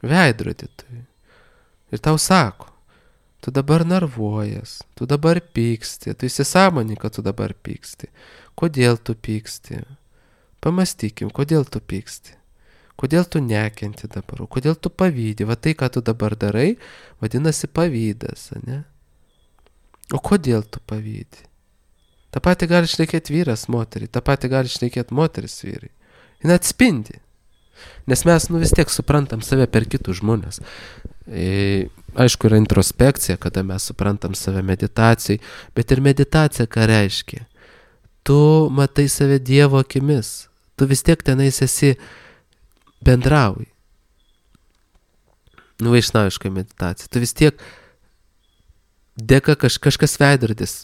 Speaker 1: veidrodį turi. Ir tau sako, tu dabar nervuojas, tu dabar pyksti, tu įsisąmoni, kad tu dabar pyksti. Kodėl tu pyksti? Pamastykim, kodėl tu pyksti. Kodėl tu nekenti dabar, kodėl tu pavydi. Va tai, ką tu dabar darai, vadinasi pavydas, ne? O kodėl tu pavydi? Ta pati gali šnekėti vyras moteriai, ta pati gali šnekėti moteris vyrai. Jis atspindi. Nes mes nu vis tiek suprantam save per kitus žmonės. E, aišku, yra introspekcija, kada mes suprantam save meditacijai, bet ir meditacija ką reiškia? Tu matai save Dievo akimis. Tu vis tiek tenais esi bendrauji. Nu, vaišnaviška meditacija. Tu vis tiek dėka kaž, kažkas veidrodis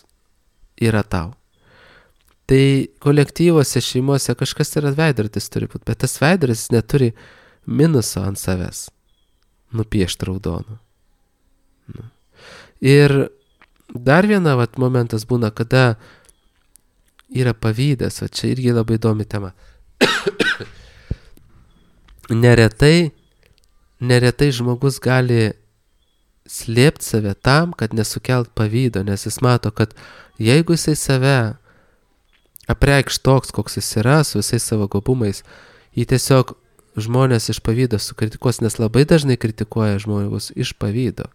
Speaker 1: yra tau. Tai kolektyvose, šeimose kažkas yra veidrodis turi būti, bet tas veidrodis neturi minuso ant savęs nupiešti raudonų. Nu. Ir dar viena vat, momentas būna, kada yra pavydas, va čia irgi labai įdomi tema. neretai, neretai žmogus gali slėpti save tam, kad nesukelt pavydo, nes jis mato, kad jeigu jisai save apreikš toks, koks jis yra, su visais savo gobumais, jį tiesiog žmonės iš pavydo sukritikuos, nes labai dažnai kritikuoja žmonės iš pavydo.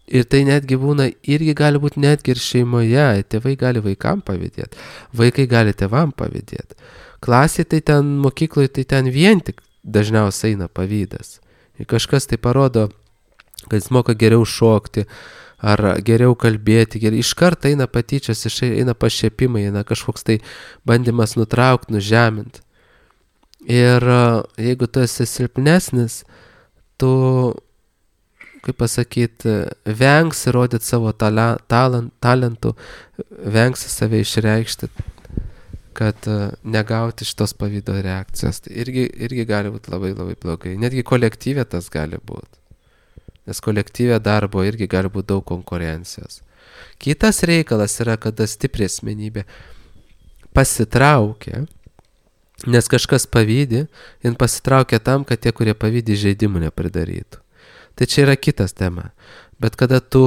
Speaker 1: Ir tai netgi būna, irgi gali būti netgi ir šeimoje, tėvai gali vaikam pavydėti, vaikai gali tėvam pavydėti. Klasė tai ten, mokykloje tai ten vien tik dažniausiai eina pavydas. Ir kažkas tai parodo, kad jis moka geriau šokti, ar geriau kalbėti, geriau. Iš karto eina patyčios, eina pašiepimai, eina kažkoks tai bandymas nutraukti, nužeminti. Ir jeigu tu esi silpnesnis, tu, kaip pasakyti, vengsi rodyti savo tala, talent, talentų, vengsi save išreikšti, kad negauti šitos pavydo reakcijos. Tai irgi, irgi gali būti labai labai blogai. Netgi kolektyve tas gali būti. Nes kolektyve darbo irgi gali būti daug konkurencijos. Kitas reikalas yra, kada stipri asmenybė pasitraukia, nes kažkas pavydi, jin pasitraukia tam, kad tie, kurie pavydi, žaidimų nepridarytų. Tai čia yra kitas tema. Bet kada tu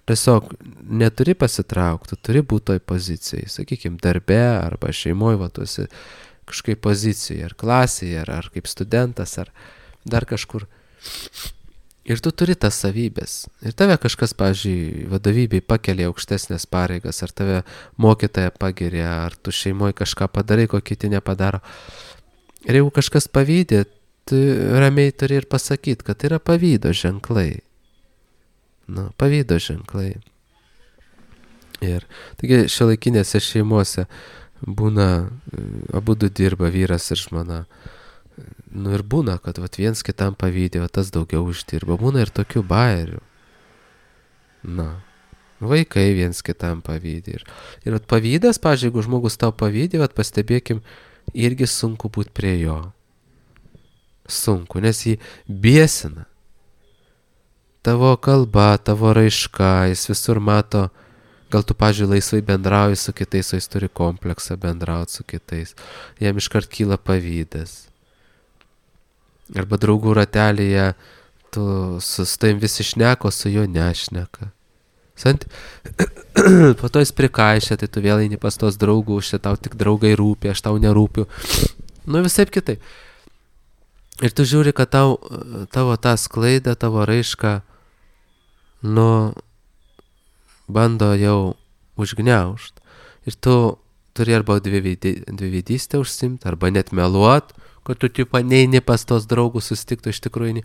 Speaker 1: tiesiog neturi pasitraukti, tu turi būti toj pozicijai, sakykime, darbe arba šeimoje, va, tu esi kažkaip pozicijoje, ar klasėje, ar, ar kaip studentas, ar dar kažkur. Ir tu turi tas savybės. Ir tave kažkas, pavyzdžiui, vadovybei pakelia aukštesnės pareigas, ar tave mokytoja pagiria, ar tu šeimoje kažką padarai, ko kiti nepadaro. Ir jeigu kažkas pavydė, tu ramiai turi ir pasakyti, kad tai yra pavydo ženklai. Nu, pavydo ženklai. Ir taigi šiuolaikinėse šeimose būna, abudu dirba vyras ir žmona. Nu ir būna, kad vat, viens kitam pavydė, o tas daugiau uždirba. Būna ir tokių bairių. Na, vaikai viens kitam pavydė. Ir, ir vat, pavydas, pavyzdžiui, jeigu žmogus tau pavydė, vat, pastebėkim, irgi sunku būti prie jo. Sunku, nes jį biesina. Tavo kalba, tavo raiška, jis visur mato, gal tu, pavyzdžiui, laisvai bendrauji su kitais, o jis turi kompleksą bendrauti su kitais. Jam iškart kyla pavydas. Arba draugų ratelėje tu su tavim visi šneko, su juo nešneka. Sant? Po to jis prikaišia, tai tu vėl eini pas tos draugų, šia tau tik draugai rūpi, aš tau nerūpiu. Nu visaip kitai. Ir tu žiūri, kad tau, tavo tą sklaidą, tavo raišką, nu, bando jau užgniaužt. Ir tu turi arba dviveidystę užsimt, arba net meluot, kad tu tipo neini pas tos draugus susitiktų iš tikrųjų,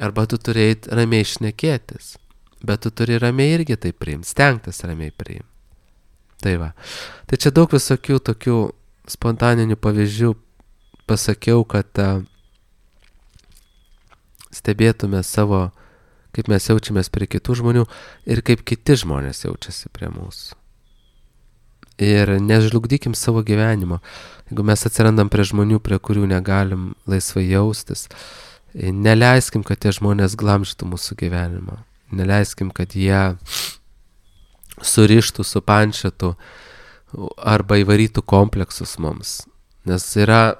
Speaker 1: arba tu turi eit ramiai šnekėtis, bet tu turi ramiai irgi tai priimti, stengtis ramiai priimti. Tai va. Tai čia daug visokių tokių spontaninių pavyzdžių pasakiau, kad uh, stebėtume savo, kaip mes jaučiamės prie kitų žmonių ir kaip kiti žmonės jaučiasi prie mūsų. Ir nežlugdykim savo gyvenimo. Jeigu mes atsirandam prie žmonių, prie kurių negalim laisvai jaustis, neleiskim, kad tie žmonės glamžytų mūsų gyvenimą. Neleiskim, kad jie surištų, supančiotų arba įvarytų kompleksus mums. Nes yra,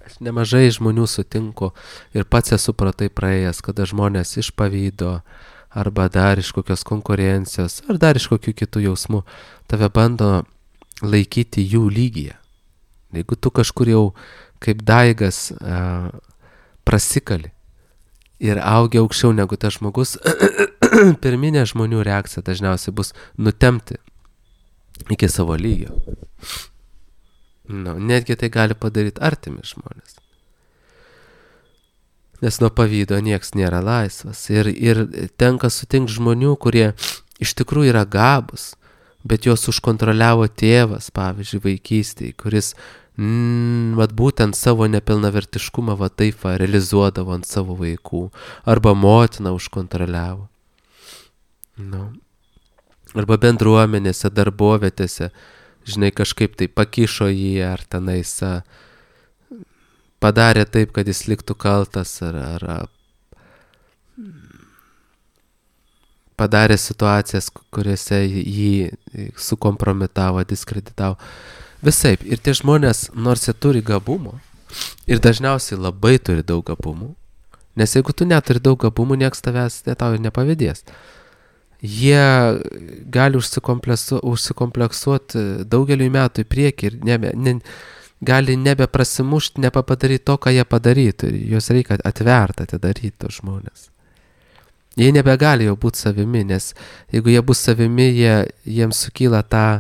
Speaker 1: aš nemažai žmonių sutinku ir pats esu pro tai praėjęs, kada žmonės iš pavydo arba dar iš kokios konkurencijos ar dar iš kokių kitų jausmų tave bando laikyti jų lygyje. Jeigu tu kažkur jau kaip daigas a, prasikali ir augi aukščiau negu tas žmogus, pirminė žmonių reakcija dažniausiai bus nutemti iki savo lygio. Nu, netgi tai gali padaryti artimi žmonės. Nes nuo pavydo nieks nėra laisvas. Ir, ir tenka sutinkti žmonių, kurie iš tikrųjų yra gabūs, bet juos užkontroliavo tėvas, pavyzdžiui, vaikystėje, kuris mm, vat būtent savo nepilnavertiškumą va taip va, realizuodavo ant savo vaikų, arba motina užkontroliavo. Nu. Arba bendruomenėse, darbovietėse, žinai, kažkaip tai pakišo jį, ar tenais a, padarė taip, kad jis liktų kaltas, ar, ar padarė situacijas, kuriuose jį sukompromitavo, diskreditavo. Visaip. Ir tie žmonės, nors jie turi gabumų, ir dažniausiai labai turi daug gabumų, nes jeigu tu neturi daug gabumų, nieks tavęs ne tau nepavedės. Jie gali užsikompleksuoti daugeliui metų į priekį ir nebe, ne, gali nebeprasimušti, nepadaryti to, ką jie padarytų. Juos reikia atverti, atidaryti tos žmonės. Jie nebegali jau būti savimi, nes jeigu jie bus savimi, jie, jiems sukyla tą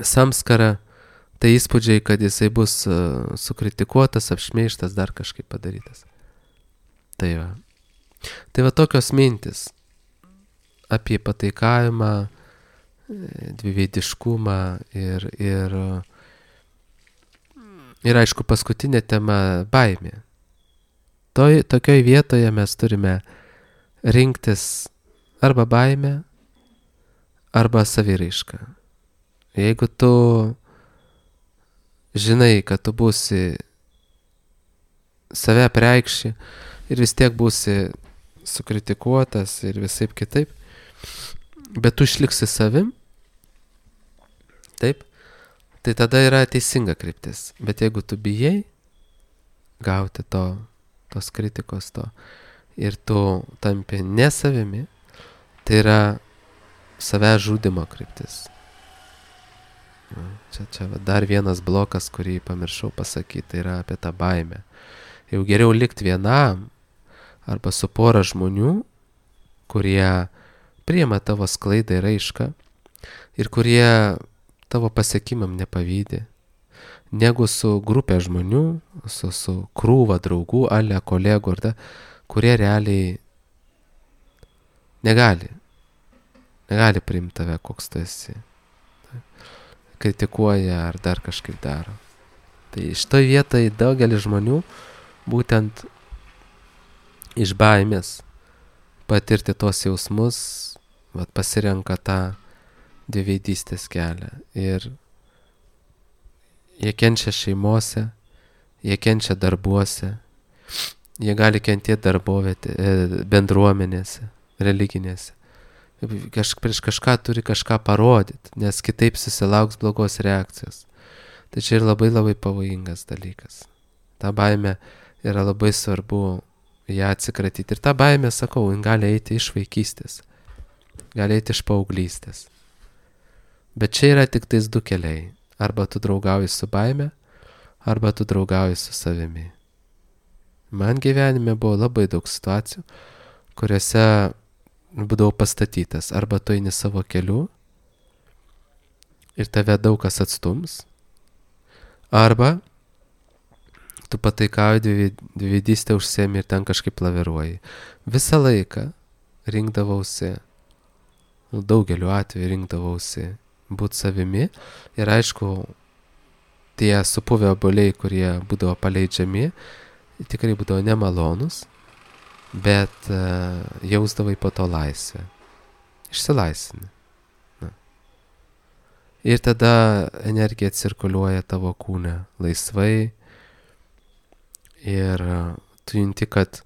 Speaker 1: samskarą, tai įspūdžiai, kad jisai bus uh, sukritikuotas, apšmeižtas, dar kažkaip padarytas. Tai va. Tai va tokios mintis apie pataikavimą, dviveidiškumą ir, ir, ir aišku, paskutinė tema – baimė. Toj, tokioj vietoje mes turime rinktis arba baimę, arba saviraišką. Jeigu tu žinai, kad tu būsi save preikši ir vis tiek būsi sukritikuotas ir visaip kitaip, bet tu išliksi savim, taip, tai tada yra teisinga kryptis. Bet jeigu tu bijai gauti to, tos kritikos, to ir tu tampi ne savimi, tai yra savęs žudimo kryptis. Čia, čia dar vienas blokas, kurį pamiršau pasakyti, tai yra apie tą baimę. Jau geriau likti vienam arba su pora žmonių, kurie priima tavo sklaidą ir raišką ir kurie tavo pasiekimam nepavydi, negu su grupė žmonių, su, su krūva draugų, ale kolegų, ar da, kurie realiai negali, negali priimti tave, koks tu esi. Kritikuoja ar dar kažkaip daro. Tai šitoj vietoj daugelis žmonių būtent iš baimės patirti tos jausmus, vat, pasirenka tą dviveidystės kelią. Ir jie kenčia šeimose, jie kenčia darbuose, jie gali kentėti darbovietė, bendruomenėse, religinėse. Kaž, prieš kažką turi kažką parodyti, nes kitaip susilauks blogos reakcijos. Tai čia ir labai labai pavojingas dalykas. Ta baimė yra labai svarbu ją atsikratyti. Ir ta baimė, sakau, gali eiti iš vaikystės, gali eiti iš paauglystės. Bet čia yra tik tais du keliai. Arba tu draugauji su baime, arba tu draugauji su savimi. Man gyvenime buvo labai daug situacijų, kuriuose būdavau pastatytas. Arba tu eini savo keliu ir tave daug kas atstums, arba tu pataikauji dviveidystę užsiemi ir ten kažkaip laviruoji. Visą laiką rinkdavausi, daugeliu atveju rinkdavausi būt savimi ir aišku, tie supuvę obuoliai, kurie būdavo paleidžiami, tikrai būdavo nemalonus, bet uh, jausdavai po to laisvę. Išsilaisvini. Na. Ir tada energija cirkuliuoja tavo kūne laisvai ir uh, tu junti, kad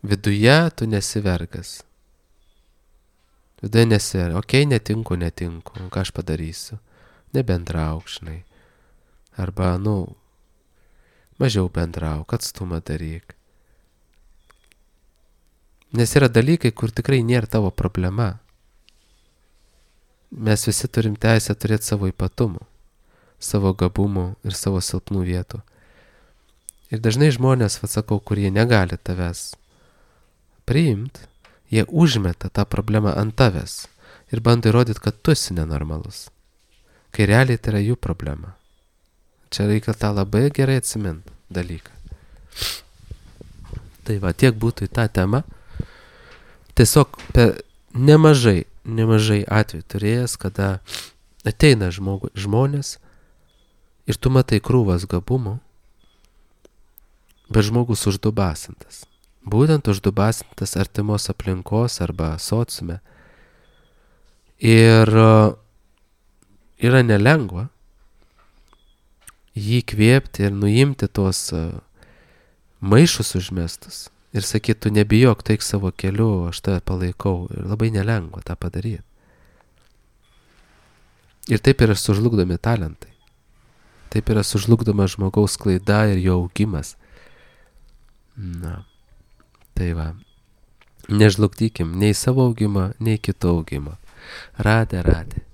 Speaker 1: viduje tu nesi vergas. Viduje nesi vergas. Okei, netinku, netinku. Ką aš padarysiu? Nebendrauk, žinai. Arba, nu, mažiau bendrauk, atstumą daryk. Nes yra dalykai, kur tikrai nėra tavo problema. Mes visi turim teisę turėti savo ypatumų, savo gabumų ir savo silpnų vietų. Ir dažnai žmonės, atsakau, kurie negali tavęs priimti, jie užmeta tą problemą ant tavęs ir bando įrodyti, kad tu esi nenormalus. Kai realiai tai yra jų problema. Čia reikia tą labai gerai atsiminti dalyką. Tai va, tiek būtų į tą temą. Tiesiog per nemažai, nemažai atvejų turėjęs, kada ateina žmogu, žmonės ir tu matai krūvas gabumų, bet žmogus uždubasintas. Būtent uždubasintas artimos aplinkos arba sociume. Ir yra nelengva jį kvėpti ir nuimti tuos maišus užmestus. Ir sakyt, tu nebijok, taik savo keliu, aš tave palaikau. Ir labai nelengva tą padaryti. Ir taip yra sužlugdomi talentai. Taip yra sužlugdoma žmogaus klaida ir jo augimas. Na, tai va. Nežlugdykim nei savo augimą, nei kito augimą. Radė, radė.